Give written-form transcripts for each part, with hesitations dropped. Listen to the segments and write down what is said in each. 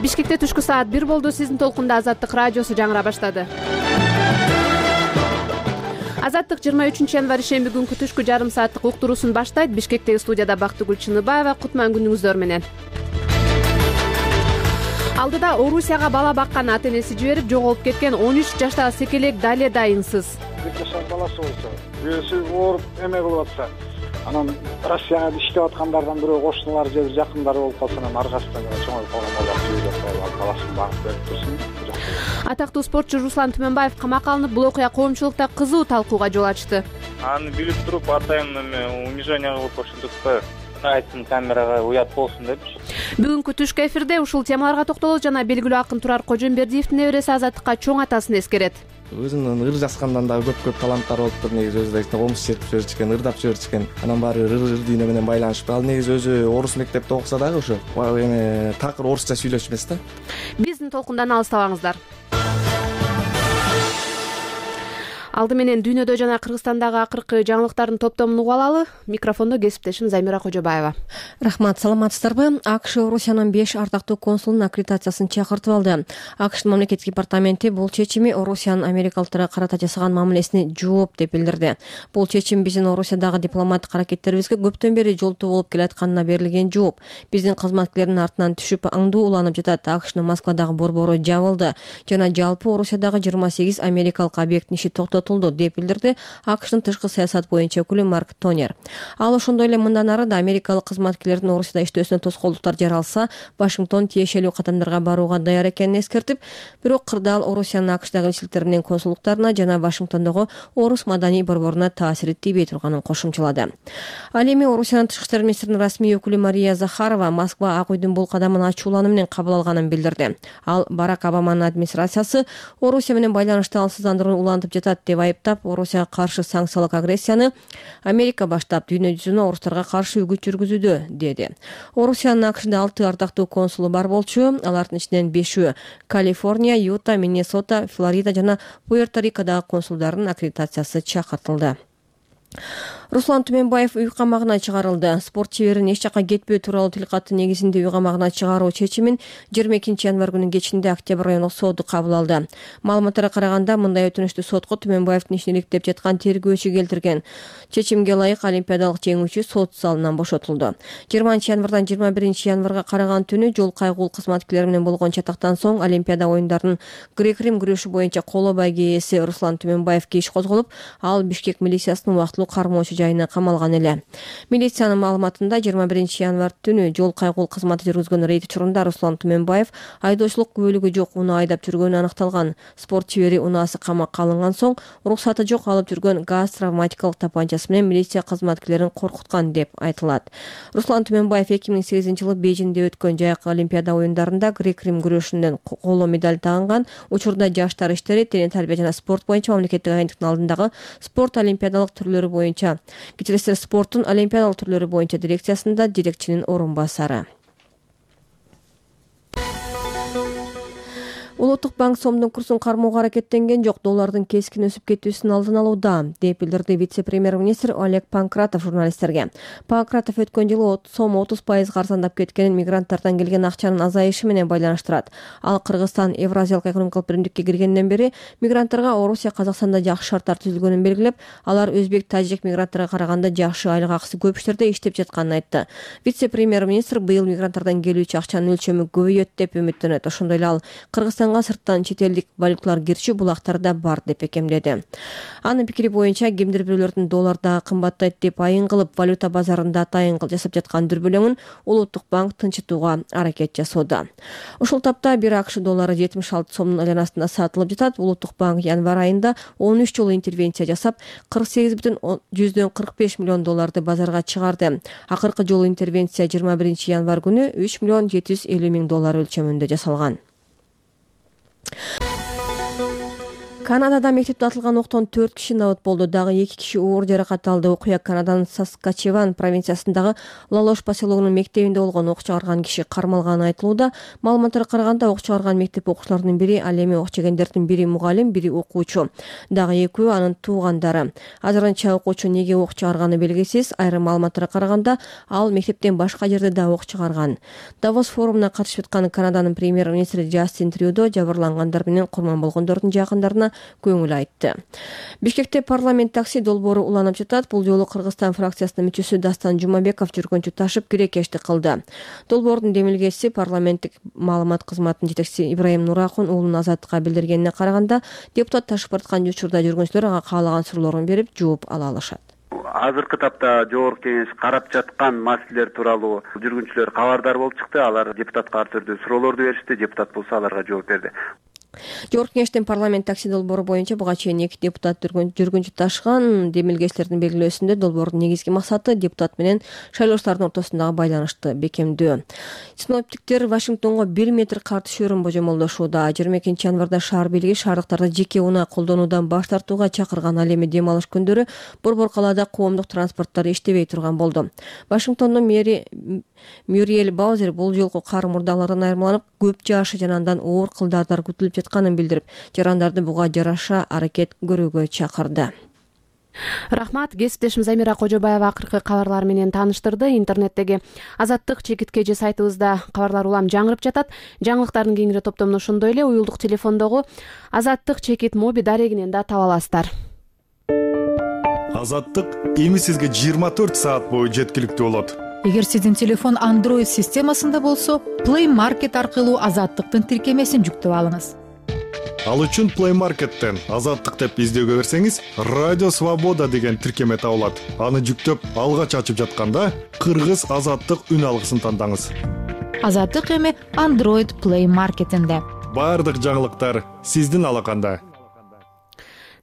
Бишкекте түшкү саат 1 болду. Сиздин толкунда Азаттык радиосу жаңыра баштады. Азаттык 23 январь шемби күнкү түшкү жарым сааттык уктуруусун баштайт. Бишкектеги студияда Бактыгүл Чыныбаева. Кутман күнүңүздөр менен. Алдыда Орусияга бала баккан ата-энеси жиберип жоголуп кеткен 13 жаштагы секелек дале дайынсыз. Баласы болсо, бирөөсү ооруп эме кылып атса, анан Россияга иштеп аткандардан бирөө кошуналар же жакындары болуп калса, анан аркасынан чоңоюп калган баласын багып берип турсун. Атактуу спортчу Руслан Түмөнбаев камакка алынып, бул окуя коомчулукта кызуу талкууга жол ачты. Аны билип туруп, атайын унижение кылып ошентип атпайбы? Айтсын камерага уят болсун деп. Бүгүнкү түшкү эфирде ушул темаларга токтолот жана белгилүү акын Турар Кожомбердиевдин небереси Азаттыкка чоң атасын эскерет. Өзүнүн ыр жазгандан дагы көп таланттар болуптур. Негизи өзү да комуз чертип жиберчүкен, ырдап жиберчүкен. Анан баары ыр дүйнө менен байланышып. Ал негизи өзү орус мектепте окуса дагы ошо эме такыр орусча сүйлөшүп эмес да. Биздин толкундан алыстабаңыздар. Алды менен дүйнөдө жана Кыргызстандагы акыркы жаңылыктардын топтомун угуп алалы. Микрофондо кесиптешим Замира Кожобаева. Рахмат, саламатсыздарбы? АКШ Орусиянын 5 ардактуу консулунун аккредитациясын чакыртып алды. АКШтын мамлекеттик департаменти бул чечими Орусиянын америкалыктарга карата жасаган мамилесине жооп деп билдирди. Бул чечим биздин Орусиядагы дипломаттык аракеттерибизге көптөн бери жолтоо болуп келатканына берилген жооп. Биздин кызматкерлердин артынан түшүп аңдуу уланып жатат. АКШнын Москвадагы борбору жабылды жана жалпы Орусиядагы 28 америкалык объекттин иши токтотулду деп билдирди АКШтын тышкы саясат боюнча өкүлү Марк Тонер. Ал ошондой эле мындан ары да америкалык кызматкерлердин Орусияда иштөөсүнө тоскоолдуктар жаралса, Вашингтон тиешелүү кадамдарга барууга даяр экенин эскертип, бирок кырдаал Орусиянын АКШдагы элчиликтери менен консулдуктарына жана Вашингтондогу орус маданий борборуна таасири тийбей турганын кошумчалады. Ал эми Орусиянын тышкы иштер министринин расмий өкүлү Мария Захарова Москва Ак үйдүн бул кадамын ачуулануу менен кабыл алганын билдирди. Ал Барак Обаманын администрациясы Орусия менен байланышты алсыздандырууну улантып жатат деп айыптап, Орусияга каршы санкциялык агрессияны Америка баштап, дүйнө жүзүнө орустарга каршы үгүт жүргүзүүдө, деди. Орусиянын АКШда 6 ардактуу консулу бар болчу. Алардын ичинен 5-өө Калифорния, Юта, Миннесота, Флорида жана Пуэрто-Рикодагы консулдардын аккредитациясы чакыртылды. Руслан Түмөнбаев үй камагына чыгарылды. Спорт чеберин эч жакка кетпөө тууралуу тилкаты негизинде үй камагына чыгаруу чечимин 22 январь күнүнүн кечинде Октябрь райондук соду кабыл алды. Маалыматтарга караганда, мындай өтүнүштү сотко Түмөнбаевдин ишин иликтеп жаткан тергөөчү келтирген. Чечимге ылайык олимпиадалык жеңүүчү сот залынан бошотулду. 20 январдан 21 январга караган түнү жол кайгул кызматкерлери менен болгон чатактан соң Олимпиада оюндарынын грек-рим күрөшү боюнча коло байге ээси Руслан Түмөнбаевге иш козголуп, ал Бишкек милициясынын убактылуу кармоочу жайына камалган эле. Милициянын маалыматында 21 январь түнү жол кайгул кызматы жүргүзгөн рейд учурунда Руслан Түмөнбаев айдоочулук күбөлүгү жок унаа айдап жүргөнү аныкталган. Спорт чебери унаасы камакка алынган соң уруксаты жок алып жүргөн газ травматикалык тапанчасы менен милиция кызматкерлерин коркуткан деп айтылат. Руслан Түмөнбаев 2008 жылы Бейжиңде өткөн жайкы Олимпиада оюндарында грек-рим күрөшүнөн коло медаль тагынган. Учурда жаштар иштери, тене тарбия жана спорт боюнча мамлекеттик агенттиктин алдындагы спорт олимпиадалык түрлөрү боюнча спорттун олимпиадалык түрлөрү боюнча дирекциясында дирекчинин орун басары. Улуттук банк сомдун курсун кармоого аракеттенген жок, доллардын кескин өсүп кетүүсүнүн алдын алууда, деп билдирди вице-премьер-министр Олег Панкратов журналисттерге. Панкратов өткөн жылы сом 30% арзандап кеткенин мигранттардан келген акчанын азайышы менен байланыштырат. Ал Кыргызстан Евразиялык экономикалык биримдикке киргенден бери мигранттарга Орусия, Казакстанда жакшы шарттар түзүлгөнүн белгилеп, алар өзбек, тажик мигранттарга караганда жакшы айлык акысы көп иштерде иштеп жатканын айтты. Вице-премьер-министр быйыл мигранттардан келүүчү акчанын өлчөмү көбөйөт деп үмүттөнөт. Ошондой эле ал Кыргызстанга сырттан чет элдик валюталар кирчү булактарда бар деп бекемдеди. Анын пикири боюнча, кимдир бирөөлөрдүн долларда кымбаттайт деп айын кылып, валюта базарында атайын жасап жаткан дүрбөлөңүн Улуттук банк тынчытууга аракет жасоодо. Ушул тапта бир АКШ доллары 76 сомдун айланасында сатылып жатат. Улуттук банк январь айында 13 жолу интервенция жасап, 48,45 миллион долларды базарга чыгарды. Акыркы жолу интервенция 21 январь күнү 3 миллион 750 миң доллар өлчөмүндө жасалган. Канадада мектепте атылган октон 4 киши набыт болду. Дагы 2 киши оор жаракат алды. Окуя Канаданын Саскачеван провинциясындагы Лалош поселогунун мектебинде болгон. Ок чыгарган киши кармалганы айтылууда. Маалыматтарга караганда ок чыгарган мектеп окуучуларынын бири, ал эми ок чегендердин бири мугалим, бири окуучу. Дагы экөө анын туугандары. Азырынча окуучу неге ок чыгарганы белгисиз. Айрым маалыматтарга караганда ал мектептен башка жерде да ок чыгарган. Давос форумуна катышып аткан Канаданын премьер-министри Джастин Трюдо жабырлангандар менен курман болгондордун жакындарына көңүл айтты. Бишкекте парламент такси долбоору уланып жатат. Бул жолу Кыргызстан фракциясынын мүчөсү Дастан Жумабеков жүргөнчү ташып кирекештик кылды. Долбоордун демилгеси парламенттик маалымат кызматынын жетекчиси Ибраим Нурахун уулунун Азаттыкка билдиргенине караганда, депутат ташып бараткан учурда жүргүнчүлөр ага каалаган суроолорун берип, жооп ала алышат. Азыркы тапта жогорку кеңеш карап жаткан маселелер тууралуу жүргүнчүлөр кабардар болуп чыкты. Алар депутатка ар түрдүү суроолорду беришти. Депутат болсо аларга жооп берди. Жогорку кеңештин парламент такси долбоору боюнча буга чейин 2 депутат жүргүнчү ташыган. Демилгечилердин белгилөөсүндө долбоордун негизги максаты депутат менен шайлоочулардын ортосундагы байланышты бекемдөө. Синоптиктер Вашингтонго 1 метр кар түшөрүн божомолдошууда. 22 январда шаар бийлиги шаардыктарды жеке унаа колдонуудан баш тартууга чакырган. Ал эми дем алыш күндөрү борбор калаада коомдук транспорттор иштебей турган болду. Вашингтондун мэри Мюриэль Баузер бул жолку кар мурдалардан айырмаланып, көп жаашы жана андан оор кылдарлар күтүлүп жатканын билдирип, жарандарды буга жараша аракет көрүүгө чакырды. Рахмат. Кесиптешим Замира Кожобаева акыркы кабарлар менен тааныштырды. Интернеттеги Азаттык чекиткежи сайтыбызда кабарлар улам жаңырып жатат. Жаңылыктардын кеңири топтомун ошондой эле уюлдук телефондогу Азаттык чекит моби дарегинен да таба аласыздар. Азаттык эми сизге 24 саат бою жеткиликтүү болот. Эгер сиздин телефон Android системасында болсо, Play Market аркылуу Азаттыктын тиркемесин жүктөп алыңыз. Ал үчүн Play Market'тен Азаттык деп издөөгө берсеңиз, Радио Свобода деген тиркеме табылат. Аны жүктөп, алгач ачып жатканда Кыргыз Азаттык үн алгысын тандаңыз. Азаттык эми Android Play Market'инде. Бардык жаңылыктар сиздин алаканда.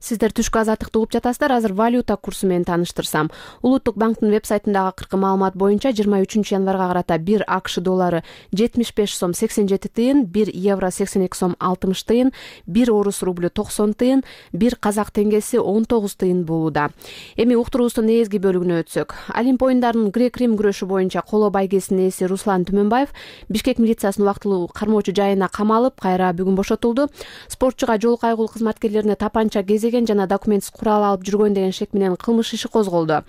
Сиздер түшкү Азаттыкты угуп жатасыздар. Азыр валюта курсу менен тааныштырсам. Улуттук банктын веб-сайтындагы акыркы маалымат боюнча 23 январга карата 1 АКШ доллары 75 сом 87 тыйын, 1 евро 82 сом 60 тыйын, 1 орус рублю 90 тыйын, 1 казак теңгеси 19 тыйын болууда. Эми уктуруубуздун негизги бөлүгүнө өтсөк. Олимп оюндарынын грек-рим күрөшү боюнча коло байгесинин ээси Руслан Түмөнбаев Бишкек милициясынын убактылуу кармоочу жайына камалып, кайра бүгүн бошотулду. Спортчуга жол кайгылуу кызматкерлерине тапанча кезеген жана документсиз курал алып жүргөн деген шек менен кылмыш иши козголду.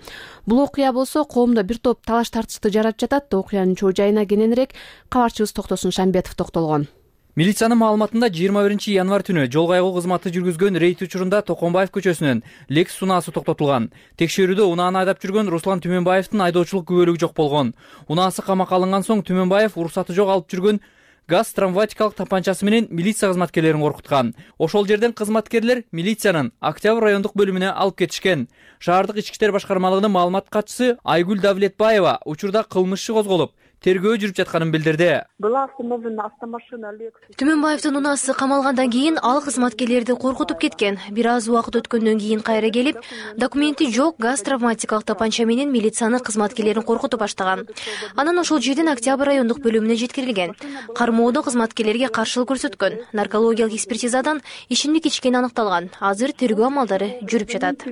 Бул окуя болсо коомдо бир топ талаш тартышты жаратып жатат. Окуянын чоо жайына кененирээк кабарчыбыз Токтосун Шамбетов токтолгон. Милициянын маалыматында 21 январ түнү жол кайгылуу кызматы жүргүзгөн рейд учурунда Токонбаев көчөсүнөн Lexus унаасы токтотулган. Текшерүүдө унааны айдап жүргөн Руслан Түмөнбаевдин айдоочулук күбөлүгү жок болгон. Унаасы камакка алынган соң Түмөнбаев уруксаты жок алып жүргөн газ травматикалык тапанчасы менен милиция кызматкерлерин коркуткан. Ошол жерден кызматкерлер милициянын Октябрь райондук бөлүмүнө алып кетишкен. Шаардык ички иштер башкармалыгынын маалымат катчысы Айгүл Давлетбаева учурда кылмыш иши козголуп, тергөө жүрүп жатканын билдирди. Түмөнбаевдин унаасы камалгандан кийин ал кызматкерлерди коркутуп кеткен. Бир аз убакыт өткөндөн кийин кайра келип, документи жок газ травматикалык тапанча менен милициянын кызматкерлерин коркутуп баштаган. Анан ошол жерден Октябрь райондук бөлүмүнө жеткирилген. Кармоодо кызматкерлерге каршылык көрсөткөн. Наркологиялык экспертизадан ичимдик ичкени аныкталган. Азыр тергөө амалдары жүрүп жатат.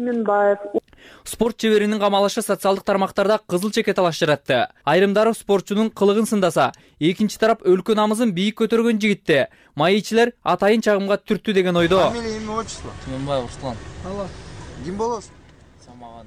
Спорт чеберинин камалышы социалдык тармактарда кызыл чеке талаш жаратты. Айрымдары спортчунун кылыгын сындаса, экинчи тарап өлкө намысын бийик көтөргөн жигитти майычилер атайын чагымга түрттү деген ойдо. Түмөнбаев Руслан. Ким болосуз?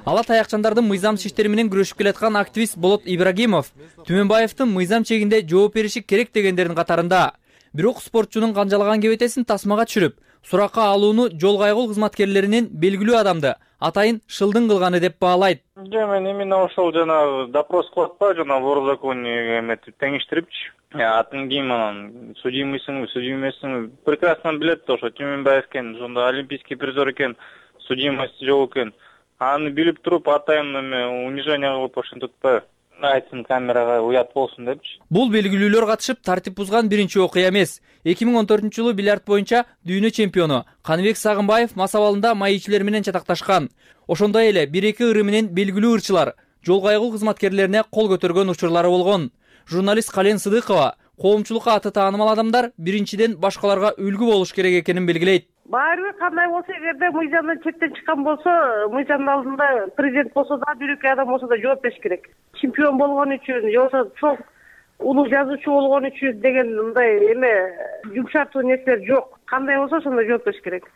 Ала таякчандардын мыйзам иштери менен күрөшүп келаткан активист Болот Ибрагимов Түмөнбаевдин мыйзам чегинде жооп бериши керек дегендердин катарында. Бирок спортчунун канжалаган кебетесин тасмага түшүрүп, суракка алууну жол кайгылуу кызматкерлеринин белгилүү адамды атайын шылдың кылганы деп баалайт. Мен именно ошол жана допрос кылып атпайбы, жана вор законе эметип теңиштирипчи. Атын кийин анан судимыйсыңбы, судим эмессиңби прекрасно билет ошо Түмөнбаев экен, ошондо олимпийский призер экен, судимость жок экен. Аны билип туруп атайын унижение кылып ошентип атпайбы? Айтсын камерага уят болсун депчи. Бул белгилүүлөр катышып тартип бузган биринчи окуя эмес. 2014-жылы бильярд боюнча дүйнө чемпиону Каныбек Сагынбаев мас абалында майычилер менен чатакташкан. Ошондой эле 1-2 ыры менен белгилүү ырчылар жол кайгылуу кызматкерлерине кол көтөргөн учурлары болгон. Журналист Кален Сыдыкова коомчулукка аты таанымал адамдар биринчиден башкаларга үлгү болуш керек экенин белгилейт. Баары бир кандай болсо, эгерде мыйзамдан чектен чыккан болсо, мыйзамдын алдында президент болсо да, бирөкөй адам болсо да жооп бериш керек. Чемпион болгон үчүн, же болбосо чоң улуу жазуучу болгон үчүн деген мындай эме жумшартуу нерселер жок. Кандай болсо ошондой жооп бериш керек.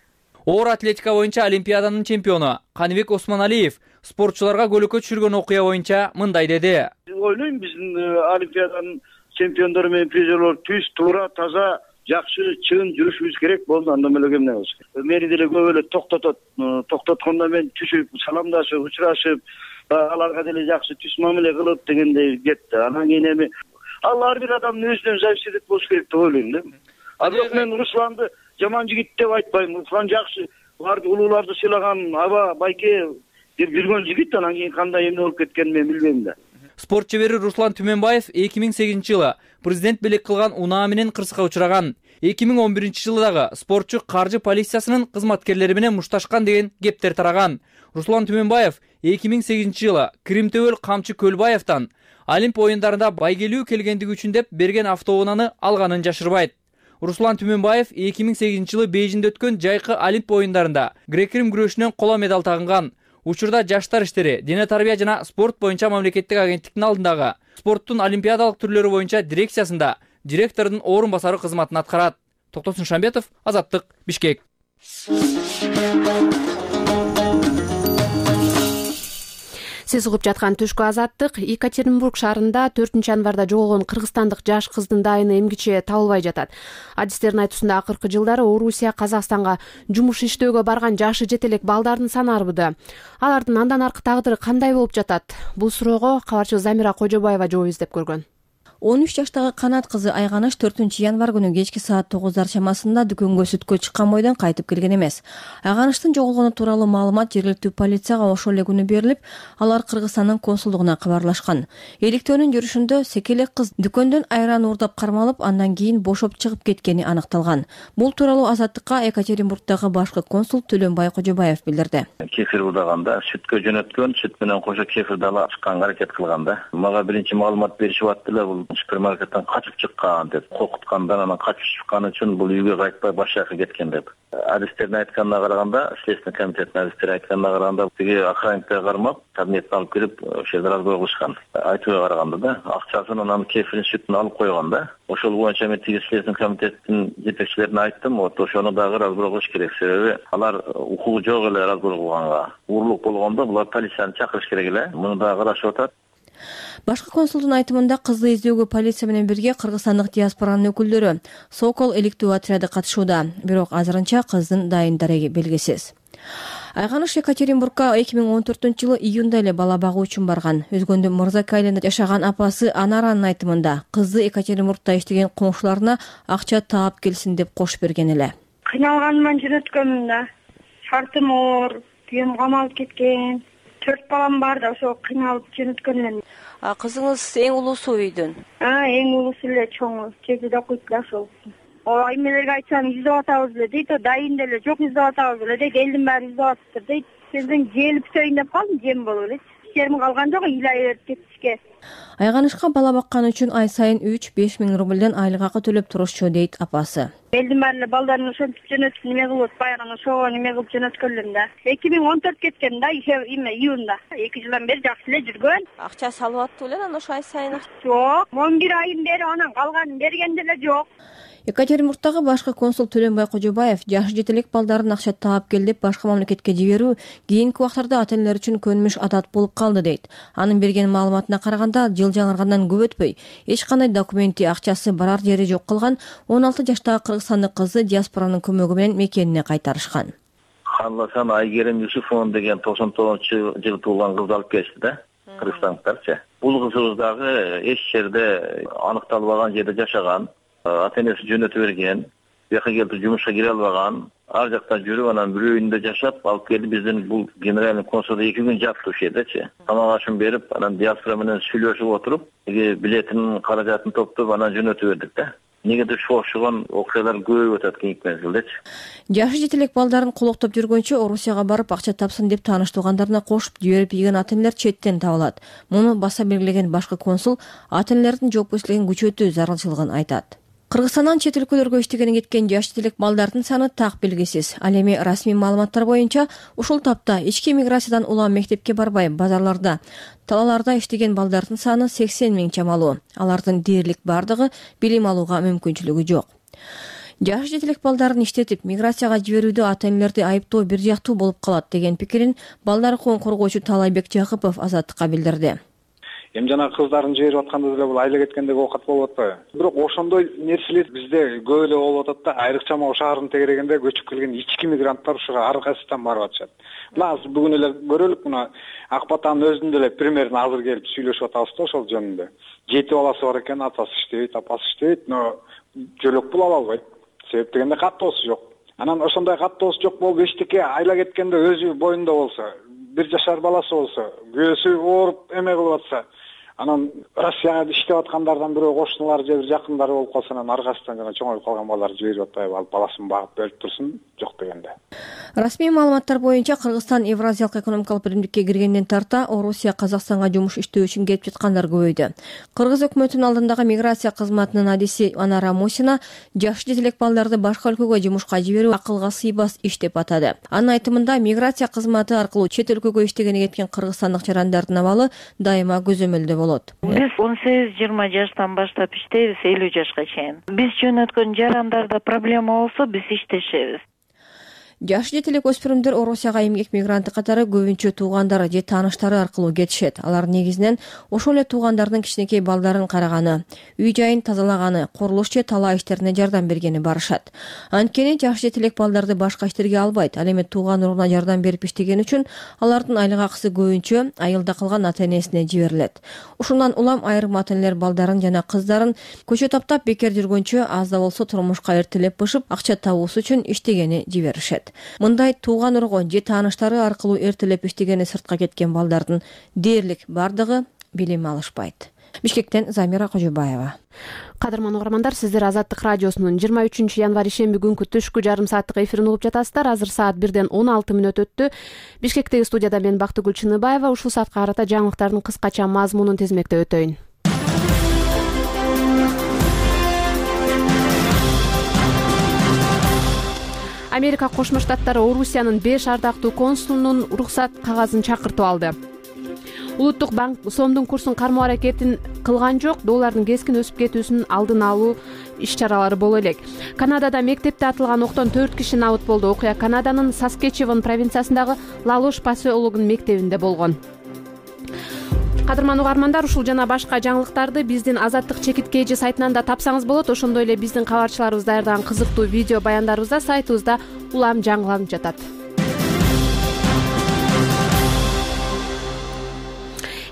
Оор атлетика боюнча Олимпиаданын чемпиону Каныбек Осмоналиев спортчуларга көлөкө түшүргөн окуя боюнча мындай деди. Ойлойм, биздин Олимпиаданын чемпиондору менен призерлор түз, туура, таза, жакшы, чын жүрүшүбүз керек болду. Андан эле эмне болсун. Мени деле көп эле токтоткондо мен түшүп, саламдашып, учурашып, аларга деле жакшы түз мамиле кылып дегендей кетти. Анан кийин эми ал ар бир адамдын өзүнөн зависит болуш керек деп ойлойм да. А бирок мен Русланды жаман жигит деп айтпайм. Руслан жакшы, улууларды сыйлаган, аба, байке жүргөн жигит. Анан кийин кандай эмне болуп кеткенин мен билбейм да. Спорт шебери Руслан Түмөнбаев 2008-жылы президент белек кылган унаа менен кырсыкка учураган. 2011-жылы дагы спортчу каржы полициясынын кызматкерлери менен мушташкан деген кептер тараган. Руслан Түмөнбаев 2008-жылы Кримтөбөл Камчы Көлбаевден Олимп оюндарында байгелүү келгендиги үчүн деп берген автоунааны алганын жашырбайт. Руслан Түмөнбаев 2008-жылы Бейжиңде өткөн жайкы Олимп оюндарында грек-рим күрөшүнөн коло медаль тагынган. Учурда жаштар иштери, дене тарбия жана спорт боюнча мамлекеттик агенттиктин алдындагы спорттун олимпиадалык түрлөрү боюнча дирекциясында директордун орун басары кызматын аткарат. Токтосун Шамбетов, Азаттык, Бишкек. Сиз угуп жаткан Түшкү Азаттык. Екатеринбург шаарында 4-январда жоголгон кыргызстандык жаш кыздын дайыны эмгиче табылбай жатат. Адистердин айтуусунда акыркы жылдары Орусия Казакстанга жумуш иштөөгө барган жашы жете элек балдардын саны арбыды. Алардын андан аркы тагдыры кандай болуп жатат? Бул суроого кабарчыбыз Замира Кожобаева жооп издеп көргөн. 13 жаштагы Канат кызы Айганыш 4-январ күнү кечки саат 9 чамасында дүкөнгө сүткө чыккан бойдон кайтып келген эмес. Айганыштын жоголгону тууралуу маалымат жергиликтүү полицияга ошол эле күнү берилип, алар Кыргызстандын консулдугуна кабарлашкан. Иликтөөнүн жүрүшүндө секелек кыз дүкөндөн айран уурдап кармалып, андан кийин бошоп чыгып кеткени аныкталган. Бул тууралуу Азаттыкка Екатеринбургдагы башкы консул Төлөнбай Кожобаев билдирди. Кефир удаганда сүткө жөнөткөн, сүт менен кошо кефирди ала чыкканга аракет кылган да. Мага биринчи маалымат беришип аттылар, бул супермаркеттен качып чыккан деп, коркуткандан анан качып чыкканы үчүн бул үйгө кайтпай башка жака кеткен деп. Адистердин айтканына караганда, Следственный комитеттин адистери айтканына караганда, тиги охранниктер кармап, кабинетке алып кирип, ошол жерде разбой кылышкан. Айтууга караганда да, акчасын анан кефирин сүтүн алып койгон да. Ошол боюнча мен тиги Следственный комитеттин жетекчилерине айттым, вот ошону дагы разбой кылыш керек. Себеби алар укугу жок эле разбой кылганга. Уурлук болгондо булар полицияны чакырыш керек эле. Муну дагы карашып атат. Башкы консулдун айтымында кызды издөөгө полиция менен бирге кыргызстандык диаспоранын өкүлдөрү Сокол иликтөө отряды катышууда, бирок азырынча кыздын дайын дареги белгисиз. Айганыш Екатеринбургга 2014-жылы июнда эле бала багуу үчүн барган. Өзгөндө Мырзака айылында жашаган апасы Анаранын айтымында кызды Екатеринбургда иштеген коңшуларына акча таап келсин деп кош берген эле. Кыйналганыман жөнөткөнмүн да. Шартым оор, күйөөм камалып кеткен. 4 балам бар да, ошо кыйналып жөнөткөнмүн. Кызыңыз эң улуусу үйдүн? Эң улуусу эле, чоңу, чекиде окуйт да ошол. Эмелерге айтсаң издеп атабыз эле дейт, дайын деле жок издеп атабыз эле дейт, элдин баары издеп атыптыр дейт. Сенден желип сөйүн деп калдым, жем болуп эле. Иштерим калган жок, ыйлай берип кетишке. Айганышка бала баккан үчүн ай сайын 3-5 миң рубльден айлык акы төлөп турушчу дейт апасы. Элдин баары эле балдарын ошентип жөнөтүп неме кылып, баягы ошого неме кылып жөнөткөнлөр да. 2014 кеткен да, июнда. 2 жылдан бери жакшы эле жүргөн. Акча салып аттып эле анан ошо ай сайын? Жок, 11 айын бери анан калганын берген деле жок. Екатеринбургдагы башкы консул Төлөнбай Кожобаев жашы жете элек балдарын акча таап кел деп башка мамлекетке жиберүү кийинки убактарда ата-энелер үчүн көнүмүш адат болуп калды дейт. Анын берген маалыматына караганда, жыл жаңыргандан көп өтпөй, эч кандай документи, акчасы барар жери жок калган 16 жаштагы кыргызстандык кызды диаспоранын көмөгү менен мекенине кайтарышкан. Ханласан Айгерим Юсуфовна деген 99-жылы туулган кызды алып келишти да, кыргызстандыктарчы. Бул кызыбыз дагы эч жерде аныкталбаган жерде жашаган. Ата-энеси жөнөтүп берген, бияка келип жумушка кире албаган, ар жактан жүрүп анан бир үйүндө жашап алып келди. Биздин бул генеральный консулда 2 күн жатты ошол жердечи. Тамак ашын берип, анан диаспора менен сүйлөшүп отуруп, билетин, каражатын топтоп анан жөнөтүп бердик да. Негеде ошогон окуялар көбөйүп атат кийинки мезгилдечи. Жашы жете элек балдарын колоктоп жүргөнчө Орусияга барып акча тапсын деп тааныш туугандарына кошуп жиберип ийген ата-энелер четтен табылат. Муну баса белгилеген башкы консул ата-энелердин жоопкерчилигин күчөтүү зарылчылыгын айтат. Кыргызстандан чет өлкөлөргө иштегени кеткен жаш делек балдардын саны так белгисиз. Ал эми расмий маалыматтар боюнча ушул тапта ички миграциядан улам мектепке барбай базарларда, талааларда иштеген балдардын саны 80 000 чамалуу. Алардын дээрлик бардыгы билим алууга мүмкүнчүлүгү жок. Жаш жетелек балдарын иштетип миграцияга жиберүүдө ата-энелерди айыптоо бир жактуу болуп калат деген пикирин балдар укугун коргоочу Талайбек Жакыпов Азаттыкка билдирди. Эми жана кыздардын жиберип атканда деле бул айла кеткендеги оокат болуп атпайбы? Бирок ошондой нерселер бизде көп эле болуп атат да, айрыкча могу шаардын тегерегинде көчүп келген ички мигранттар ушуга ар кайсыдан барып атышат. Мына азыр бүгүн эле көрөлүк, мына Акбатанын өзүндө эле примерин азыр келип сүйлөшүп атабыз да ошол жөнүндө. 7 баласы бар экен, атасы иштейт, апасы иштейт, но жөлөк пул ала албайт. Себеп дегенде каттоосу жок. Анан ошондой каттоосу жок болуп эчтеке айла кеткенде өзү боюнда болсо, 1 жашар баласы болсо, күйөөсү ооруп эме кылып атса, анан Россияга иштеп аткандардан бирөө кошуналары же бир жакындары болуп калса, анан ар кайсыдан жана чоңоюп калган балдар жиберип атпайбы, алып баласын багып берип турсун, жок дегенде. Расмий маалыматтар боюнча Кыргызстан Евразиялык экономикалык биримдикке киргенден тарта Орусия Казакстанга жумуш иштөө үчүн келип жаткандар көбөйдү. Кыргыз өкмөтүнүн алдындагы миграция кызматынын адиси Анара Мусина жаш жетелек балдарды башка өлкөгө жумушка жиберүү акылга сыйбас иш деп атады. Анын айтымында миграция кызматы аркылуу чет өлкөгө иштегени кеткен кыргызстандык жарандардын абалы дайыма көзөмөлдө болот. Биз 18-20 жаштан баштап иштейбиз 50 жашка чейин. Биз жөнөткөн жарандарда проблема болсо биз иштешебиз. Жаш жетелек өспүрүмдөр Орусияга эмгек мигранты катары көбүнчө туугандары же тааныштары аркылуу кетишет. Алар негизинен ошол эле туугандардын кичинекей балдарын караганы, үй жайын тазалаганы, курулуш же талаа иштерине жардам бергени барышат. Анткени жаш жетелек балдарды башка иштерге албайт. Ал эми тууган уруна жардам берип иштеген үчүн алардын айлык акысы көбүнчө айылда калган ата-энесине жиберилет. Ушундан улам айрым ата-энелер балдарын жана кыздарын көчө таптап бекер жүргөнчө аз да болсо турмушка эртелеп бышып акча табуусу үчүн иштегени жиберишет. Мындай тууган ургон же тааныштары аркылуу эртелеп иштегени сыртка кеткен балдардын дээрлик бардыгы билим алышпайт. Бишкектен Замира Кожобаева. Кадырман угармандар, сиздер Азаттык радиосунун 23 январь ишемби күнкү түшкү жарым сааттык эфирин угуп жатасыздар. Азыр саат 1-ден 16 мүнөт өттү. Бишкектеги студияда мен Бактыгүл Чыныбаева. Ушул саатка карата жаңылыктардын кыскача мазмунун тизмектеп өтөйүн. Америка Кошмо Штаттары Орусиянын 5 ардактуу консулунун уруксат кагазын чакыртып алды. Улуттук банк сомдун курсун кармоо аракетин кылган жок, доллардын кескин өсүп кетүүсүнүн алдын алуу иш-чаралары боло элек. Канадада мектепте атылган октон 4 киши набыт болду. Окуя Канаданын Саскечеван провинциясындагы Лалош поселогунун мектебинде болгон. Кадырман угармандар, ушул жана башка жаңылыктарды биздин Азаттык чекиткейжи сайтынан да тапсаңыз болот. Ошондой эле биздин кабарчыларыбыз даярдаган кызыктуу видео баяндарыбызда сайтыбызда улам жаңыланып жатат.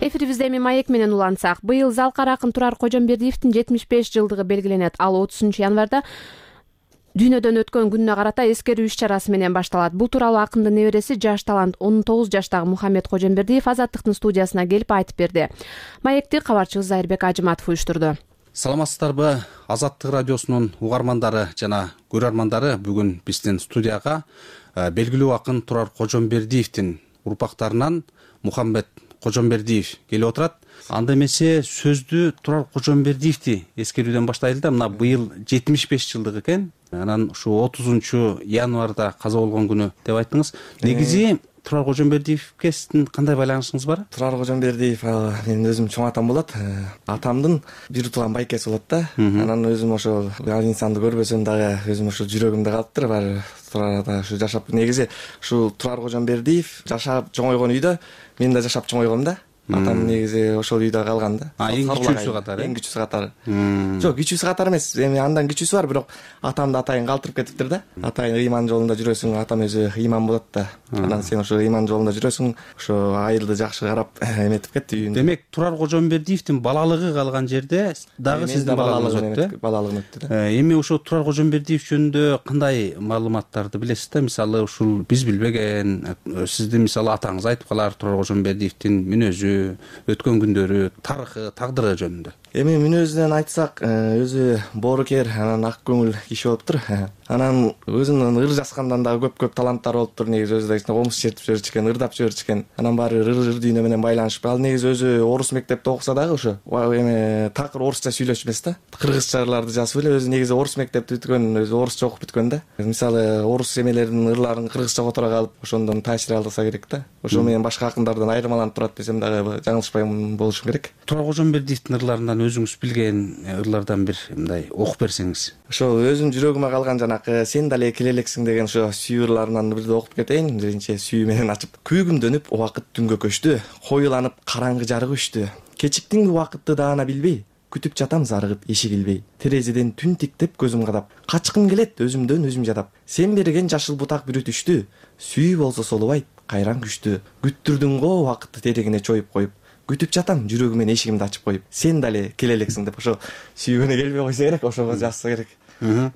Эфирибизде эми маек менен улантсак, быйыл Залкар акын Турар Кожомбердиевдин 75 жылдыгы белгиленет. Ал 30 январда дүйнөдөн өткөн күнүнө карата эскерүү иш-чарасы менен башталат. Бул тууралуу акындын небереси жаш талант 19 жаштагы Мухаммед Кожомбердиев Азаттыктын студиясына келип айтып берди. Маекти кабарчыбыз Зайырбек Ажыматов уюштурду. Саламатсыздарбы, Азаттык радиосунун угармандары жана көрөрмандары. Бүгүн биздин студияга белгилүү акын Турар Кожомбердиевдин урпактарынан Мухаммед Кожомбердиев келип отурат. Анда эмесе сөздү Турар Кожомбердиевди эскерүүдөн баштайлы да. Мына быйыл 75 жылдык экен. Анан ушу 30 январда каза болгон күнү деп айттыңыз. Негизи Турар Кожомбердиевге сиздин кандай байланышыңыз бар? Турар Кожомбердиев менин өзүм чоң атам болот. Атамдын бир тууган байкеси болот да. Анан өзүм ошол инсанды көрбөсөм дагы өзүм ошо жүрөгүмдө калыптыр. Баары Турарда ушу жашап, негизи ушу Турар Кожомбердиев жашап чоңойгон үйдө мен да жашап чоңойгом да. Атам негизи ошол үйдө калган да. Эң кичүүсү катары. Эң кичүүсү катары. Жок, кичүүсү катары эмес. Эми андан кичүүсү бар, бирок атамды атайын калтырып кетиптир да. Атайын ыйман жолунда жүрөсүң, атам өзү ыйман болот да. Анан сен ошо ыйман жолунда жүрөсүң, ошо айылды жакшы карап эметип кетти үйүндө. Демек Турар Кожомбердиевдин балалыгы калган жерде дагы сиздин балалыгыңыз өттү. Балалыгым өттү да. Эми ошо Турар Кожомбердиев жөнүндө кандай маалыматтарды билесиз да? Мисалы ушул биз билбеген, сиздин мисалы атаңыз айтып калар Турар Кожомбердиевдин мүнөзү, өткөн күндөрү, тарыхы, тагдыры жөнүндө. Эми мүнөзүнөн айтсак, өзү боорукер, анан ак көңүл киши болуптур. Анан өзүнүн ыр жазгандан дагы көп таланттары болуптур. Негизи өзү да комуз чертип жиберчү экен, ырдап жиберчү экен. Анан баары ыр дүйнө менен байланышып. Ал негизи өзү орус мектепте окуса дагы ошо эми такыр орусча сүйлөшчү эмес да. Кыргызча ырларды жазып эле өзү негизи орус мектепти бүткөн, өзү орусча окуп бүткөн да. Мисалы орус эмелеринин ырларын кыргызча которо калып, ошондон таасир алса керек да. Ошо менен башка акындардан айырмаланып турат десем дагы жаңылышпайм болушум керек. Турар Кожомбердиевдин ырларынан өзүңүз билген ырлардан бир мындай окуп берсеңиз. Ошо өзүм жүрөгүмө калган жанакы сен дале келе элексиң деген ошо сүйүү ырларынан бирди окуп кетейин. Биринчи сүйүү менен ачып. Күйгүмдөнүп убакыт түнгө көчтү, коюланып караңгы жарык өчтү. Кечиктиңби убакытты даана билбей, күтүп жатам зарыгып эшик илбей. Терезеден түн тиктеп көзүм кадап, качкым келет өзүмдөн өзүм жадап. Сен берген жашыл бутак бүрүтүштү, сүйүү болсо солубайт, кайран күчтү. Күттүрдүң го убакытты терегине чоюп коюп. Күтүп жатам жүрөгүмөн эшигимди ачып коюп. Сен дале келе элексиң деп ошо сүйгөнү келбей койсо керек, ошого жазса керек.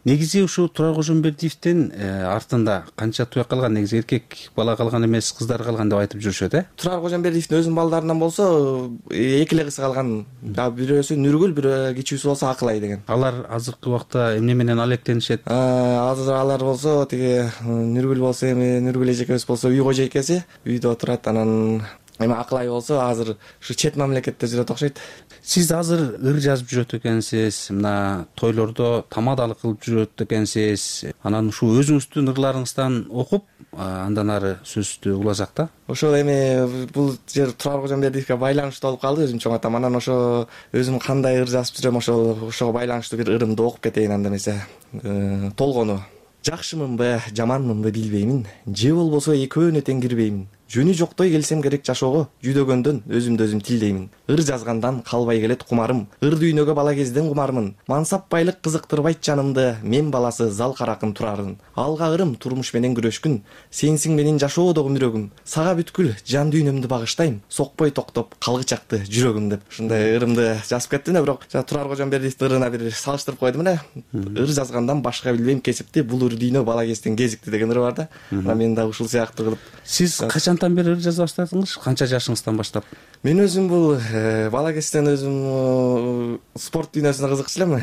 Негизи ушул Турар Кожомбердиевдин артында канча туяк калган, негизи эркек бала калган эмес, кыздар калган деп айтып жүрүшөт, Турар Кожомбердиевдин өзүнүн балдарынан болсо эки эле кызы калган. Бирөөсү Нүргүл, бирөө кичүүсү болсо Акылай деген. Алар азыркы убакта эмне менен алектенишет? Азыр алар болсо тиги Нүргүл болсо эми Нүргүл эжекебиз болсо үй кожойкеси, үйдө отурат. Анан эми Акылай болсо азыр ушу чет мамлекетте жүрөт окшойт. Сиз азыр ыр жазып жүрөт экенсиз, мына тойлордо тамадалык кылып жүрөт экенсиз. Анан ушул өзүңүздүн ырларыңыздан окуп, андан ары сөздү уласак да. Ошол эми бул жер Турар Кожомбердиевге байланыштуу болуп калды, өзүм чоң атам. Анан ошо өзүм кандай ыр жазып жүрөм, ошого байланыштуу бир ырымды окуп кетейин анда эмесе. Толгону. Жакшымынбы, жаманмынбы билбеймин, же болбосо экөөнө тең кирбеймин. Жөнү жоктой келсем керек жашоого, жүдөгөндөн өзүмдү өзүм тилдеймин. Ыр жазгандан калбай келет кумарым, ыр дүйнөгө бала кезден кумармын. Мансап байлык кызыктырбайт жанымды, мен баласы зал каракын турарын. Алга ырым турмуш менен күрөшкүн, сенсиң менин жашоодогу мүрөгүм. Сага бүткүл жан дүйнөмдү багыштайм, сокпой токтоп калгычакты жүрөгүм деп. Ушундай ырымды жазып кеттим да, бирок Турар Кожомбердиевдин ырына бир салыштырып койдум эле. Ыр жазгандан башка билбейм кесипти, бул ыр дүйнө бала кезден кезикти деген ыры бар да. Мен да ушул сыяктуу кылып. Сиз качантан бери ыр жаза баштадыңыз? Канча жашыңыздан баштап? Мен өзүм бул бала кезден өзүм спорт дүйнөсүнө кызыкчу элем.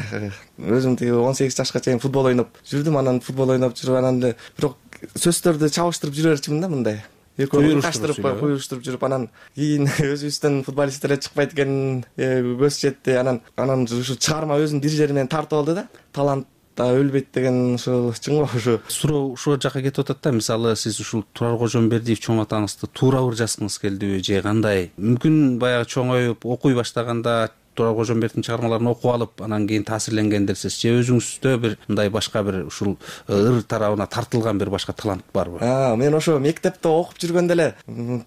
Өзүм тиги 18 жашка чейин футбол ойноп жүрдүм, анан футбол ойноп жүрүп, анан бирок сөздөрдү чабыштырып жүрө берчүмүн да мындай. Куюштуруп жүрүп, анан кийин өзүбүздөн футболисттер эле чыкпайт экен, көз жетти. Анан ушу чыгарма өзүнүн дирижери менен тартып алды да. Талант өлбөйт деген ушул чыңбы ушу? Суроо ушул жака кетип атат да. Мисалы сиз ушул Турар Кожомбердиев чоң атаңызды туура ыр жазгыңыз келдиби же кандай? Мүмкүн баягы чоңоюп окуй баштаганда Турар Кожомбердиевдин чыгармаларын окуп алып, анан кийин таасирленгендирсиз же өзүңүздө бир мындай башка бир ушул ыр тарабына тартылган бир башка талант барбы? Мен ошо мектепте окуп жүргөндө эле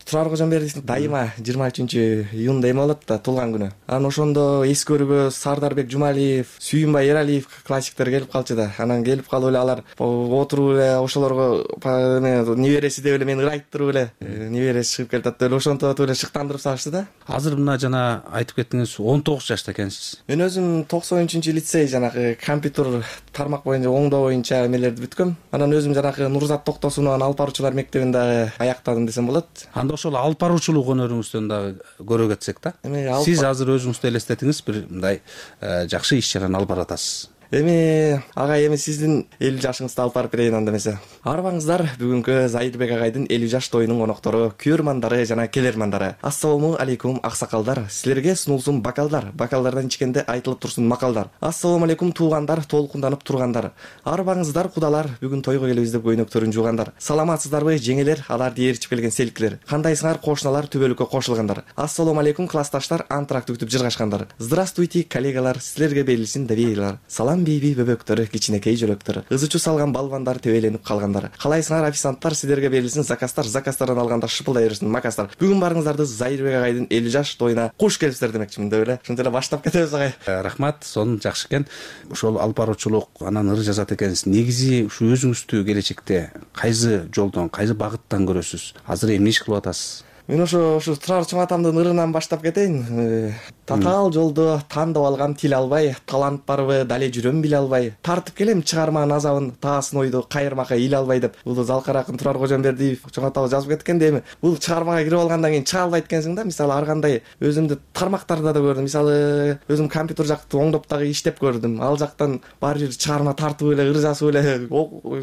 Турар Кожомбердиевдин дайыма 23-июнда эме болот да, туулган күнү. Анан ошондо эски өргө Сардарбек Жумалиев, Сүйүнбай Эралиев классиктер келип калчу да. Анан келип калып эле алар отуруп эле ошолорго небереси деп эле мени ыр айттырып эле, небереси чыгып келатат деп эле ошентип эле шыктандырып салышты да. Азыр мына жана айтып кеттиңиз 19 жашта экенсиз. Мен өзүм 93-лицей жанагы компьютер тармак боюнча оңдоо боюнча эмелерди бүткөм. Анан өзүм жанагы Нурзат Токтосуновдун алып баруучулар мектебин дагы аяктадым десем болот. Анда ошол алып баруучулук өнөрүңүздөн дагы көрө кетсек да. Сиз азыр өзүңүздү элестетиңиз, бир мындай жакшы иш чараны алып баратасыз. Эми агай, эми сиздин 50 жашыңызды алып барып берейин анда эмесе. Арбаңыздар бүгүнкү Зайырбек агайдын 50 жаш тоюнун коноктору, көрмандары жана келермандары. Ассалому алейкум аксакалдар. Силерге сунулсун бокалдар. Бокалдардан ичкенде айтылып турсун макалдар. Ассалому алейкум туугандар, толкунданып тургандар. Арбаңыздар кудалар, бүгүн тойго келебиз деп көйнөктөрүн жуугандар. Саламатсыздарбы жеңелер, аларды ээрчип келген селкилер. Кандайсыңар кошуналар, түбөлүккө кошулгандар. Ассалому алейкум классташтар, антракты күтүп жыргашкандар. Здравствуйте, коллегалар, силерге берилсин довериялар. Салам бейби бөбөктөр, кичинекей жөлөктөр, ызычу салган балбандар, төбөлөнүп калгандар. Калайсыңар официанттар, силерге берилсин закастар, закастардан алганда шыпылдай берсин макастар. Бүгүн барыңыздарды Зайырбек агайдын 50 жаш тоюна куш келипсиздер демекчимин деп эле. Ушинтип эле баштап кетебиз агай. Рахмат, сонун жакшы экен. Ошол алып баруучулук, анан ыр жазат экенсиз. Негизи ушу өзүңүздү келечекте кайсы жолдон, кайсы багыттан көрөсүз? Азыр эмне иш кылып атасыз? Мен ошо Турар чоң атамдын ырынан баштап кетейин. Татаал жолдо тандап алгам тил албай, талант барбы, дале жүрөм биле албай, тартып келем чыгарманын азабын, таасын ойду кайырмакка ил албай деп. Бул Залкар акын Турар Кожомбердиев чоң атабыз жазып кеткен дейм. Бул чыгармага кирип алгандан кийин чыга албайт экенсиң да. Мисалы ар кандай өзүмдү тармактарда да көрдүм. Мисалы өзүм компьютер жакты оңдоп дагы иштеп көрдүм. Ал жактан баары бир чыгарма тартып эле, ыр жазып эле,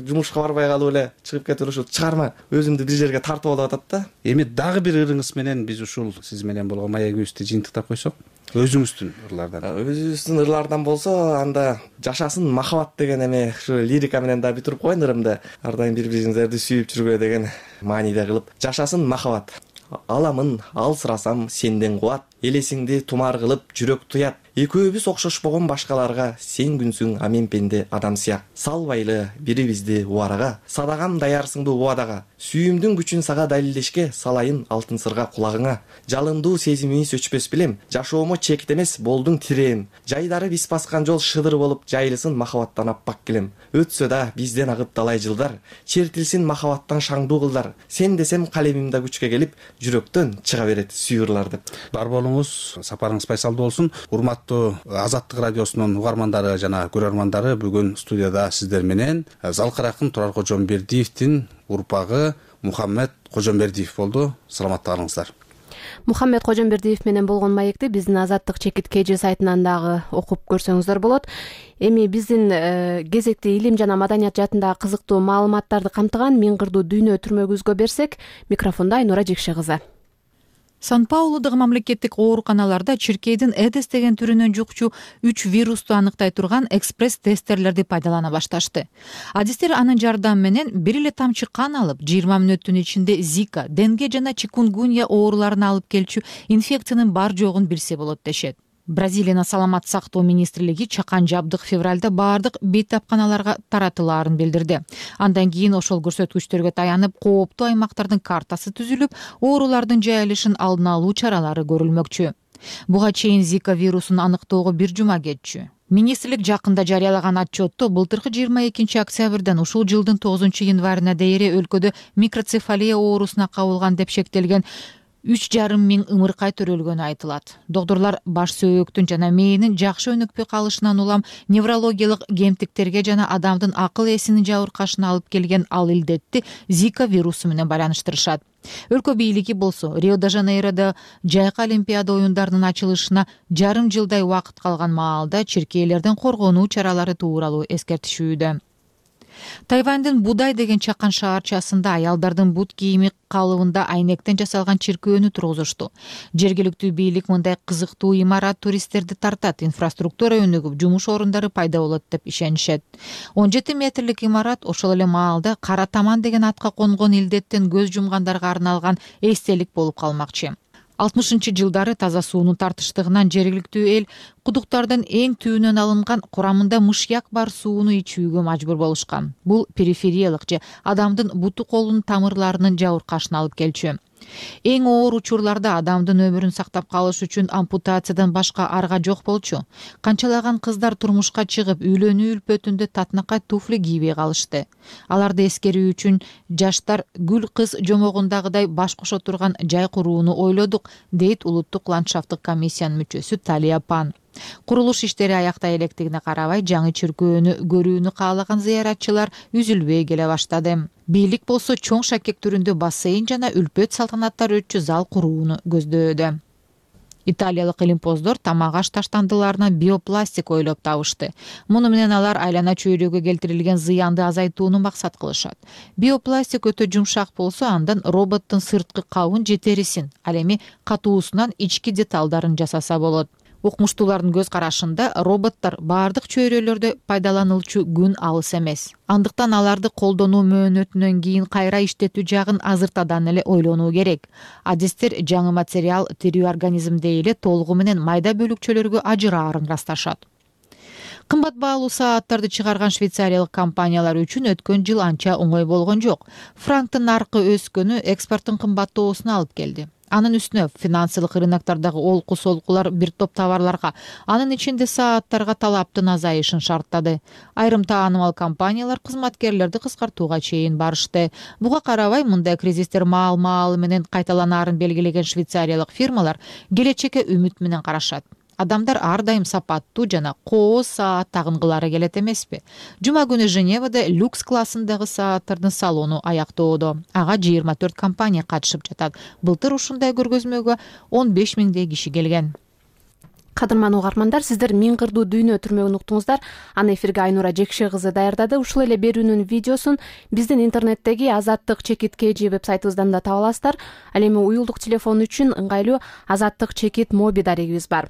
жумушка барбай калып эле чыгып кетип ушул чыгарма өзүмдү бир жерге тартып алып атат да. Эми дагы бир ырыңыз менен биз ушул сиз менен болгон маегибизди жыйынтыктап койсок, өзүңүздүн ырлардан. Өзүбүздүн ырлардан болсо, анда жашасын махабат деген эме ушу лирика менен да бүтүрүп коеюн ырымды. Ар дайым бири бириңиздерди сүйүп жүргүлө деген мааниде кылып. Жашасын махабат. Аламын, алсырасам сенден кубат, элесиңди тумар кылып жүрөк туят. Экөөбүз окшошпогон башкаларга, сен күнсүң амен пенде адам сыяк. Салбайлы бирибизди убарага, садагам даярсыңды убадага. Сүйүмдүн күчүн сага далилдешке, салайын алтын сырга кулагыңа. Жалындуу сезимиңиз өчпөс билем, жашоомо чекит эмес болдуң тиреем. Жайдары биз баскан жол шыдыр болуп, жайылсын махабаттан аппак килем. Өтсө да бизден агып талай жылдар, чертилсин махабаттан шаңдуу кылдар. Сен десем калемим да күчкө келип, жүрөктөн чыга берет сүйүрлар деп. Бар болуңуз, сапарыңыз пайсалдуу болсун. Урматтуу Азаттык радиосунун угармандары жана көрөрмандары, бүгүн студияда сиздер менен Залкар акын Турар Кожомбердиевдин урпагы Мухаммед Кожомбердиев болду. Саламатта калыңыздар. Мухаммед Кожомбердиев менен болгон маекти биздин Азаттык чекит KG сайтынан дагы окуп көрсөңүздөр болот. Эми биздин кезекти илим жана маданият жаатындагы кызыктуу маалыматтарды камтыган Миң кырдуу дүйнө түрмөгүбүзгө берсек, микрофондо Айнура Жекше кызы. Сан-Паулудагы мамлекеттик ооруканаларда чиркейдин Эдес деген түрүнөн жукчу 3 вирусту аныктай турган экспресс тесттерлерди пайдалана башташты. Адистер анын жардамы менен бир эле тамчы кан алып, 20 мүнөттүн ичинде Зика, Денге жана Чикунгунья ооруларын алып келчү инфекциянын бар жогун билсе болот дешет. Бразилиянын саламат сактоо министрлиги чакан жабдык февралда баардык бейтапканаларга таратылаарын билдирди. Андан кийин ошол көрсөткүчтөргө таянып, кооптуу аймактардын картасы түзүлүп, оорулардын жайылышын алдын алуу чаралары көрүлмөкчү. Буга чейин Зика вирусун аныктоого 1 жума кетчү. Министрлик жакында жарыялаган отчетто былтыркы 22 октябрдан ушул жылдын 9 январына дейин өлкөдө микроцефалия оорусуна кабылган деп шектелген 3,5 миң ымыркай төрөлгөнү айтылат. Доктурлар баш сөөктүн жана мээнин жакшы өнүкпөй калышынан улам неврологиялык кемтиктерге жана адамдын акыл эсинин жабыркашына алып келген ал илдетти Зика вирусу менен байланыштырышат. Өлкө бийлиги болсо Рио-де-Жанейродо жайкы Олимпиада оюндарынын ачылышына жарым жылдай убакыт калган маалда чиркейлердин коргонуу чаралары тууралуу эскертишүүдө. Тайвандын Будай деген чакан шаарчасында аялдардын бут кийими калыбында айнектен жасалган чиркөөнү тургузушту. Жергиликтүү бийлик мындай кызыктуу имарат туристтерди тартат, инфраструктура өнүгүп, жумуш орундары пайда болот деп ишенишет. 17 метрлик имарат ошол эле маалда Кара Таман деген атка конгон илдеттен көз жумгандарга арналган эстелик болуп калмакчы. 60-жылдары таза суунун тартыштыгынан жергиликтүү эл кудуктардын эң түбүнөн алынган курамында мышьяк бар сууну ичүүгө мажбур болушкан. Бул перифериялык же адамдын буту колунун тамырларынын жабыркашына алып келчү. Эң оор учурларда адамдын өмүрүн сактап калыш үчүн ампутациядан башка арга жок болчу. Канчалаган кыздар турмушка чыгып, үйлөнүү үлпөтүндө татынакай туфли кийбей калышты. Аларды эскерүү үчүн жаштар гүл кыз жомогундагыдай баш кошо турган жай курууну ойлодук, дейт улуттук ландшафттык комиссиянын мүчөсү Талия Пан. Курулуш иштери аяктай электигине карабай, жаңы чиркөөнү көрүүнү каалаган зыяратчылар үзүлбөй келе баштады. Бийлик болсо чоң шакек түрүндө бассейн жана үлпөт салтанаттар өтчү зал курууну көздөөдө. Италиялык илимпоздор тамак аш таштандыларынан биопластик ойлоп табышты. Муну менен алар айлана чөйрөгө келтирилген зыянды азайтууну максат кылышат. Биопластик өтө жумшак болсо, андан роботтун сырткы кабын же терисин, ал эми катуусунан ички деталдарын жасаса болот. Укмуштуулардын көз карашында роботтор баардык чөйрөлөрдө пайдаланылчу күн алыс эмес. Андыктан аларды колдонуу мөөнөтүнөн кийин кайра иштетүү жагын азыртадан эле ойлонуу керек. Адистер жаңы материал тирүү организмде эле толугу менен майда бөлүкчөлөргө ажыраарын ырасташат. Кымбат баалуу сааттарды чыгарган швейцариялык компаниялар үчүн өткөн жыл анча оңой болгон жок. Франктын наркы өскөнү экспорттун кымбаттоосуна алып келди. анын үстүнө финансылык рыноктардагы олку солкулар бир топ товарларга, анын ичинде сааттарга талаптын азайышын шарттады. Айрым таанымал компаниялар кызматкерлерди кыскартууга чейин барышты. Буга карабай, мындай кризистер маал менен кайталанаарын белгилеген швейцариялык фирмалар келечекке үмүт менен карашат. Адамдар ар дайым сапаттуу жана кооз саат тагынгылары келет эмеспи? Жума күнү Женевада люкс классындагы сааттардын салону аяктоодо. Ага 24 компания катышып жатат. Былтыр ушундай көргөзмөгө 15 миңдей киши келген. Кадырман угармандар, сиздер Миң кырдуу дүйнө түрмөгүн уктуңуздар. Аны эфирге Айнура Жекше кызы даярдады. Ушул эле берүүнүн видеосун биздин интернеттеги Азаттык чекит KG вебсайтыбыздан да таба аласыздар. Ал эми уюлдук телефон үчүн ыңгайлуу Азаттык чекит моби дарегибиз бар.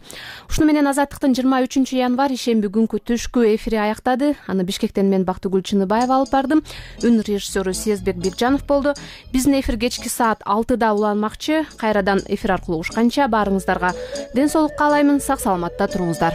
Ушуну менен Азаттыктын 23 январь ишемби күнкү түшкү эфири аяктады. Аны Бишкектен мен Бактыгүл Чыныбаева алып бардым. Үн режиссеру Сезбек Бекжанов болду. Биздин эфир кечки саат 6-да уланмакчы. Кайрадан эфир аркылуу угушканча баарыңыздарга ден соолук каалаймын. Сак саламатта туруңуздар.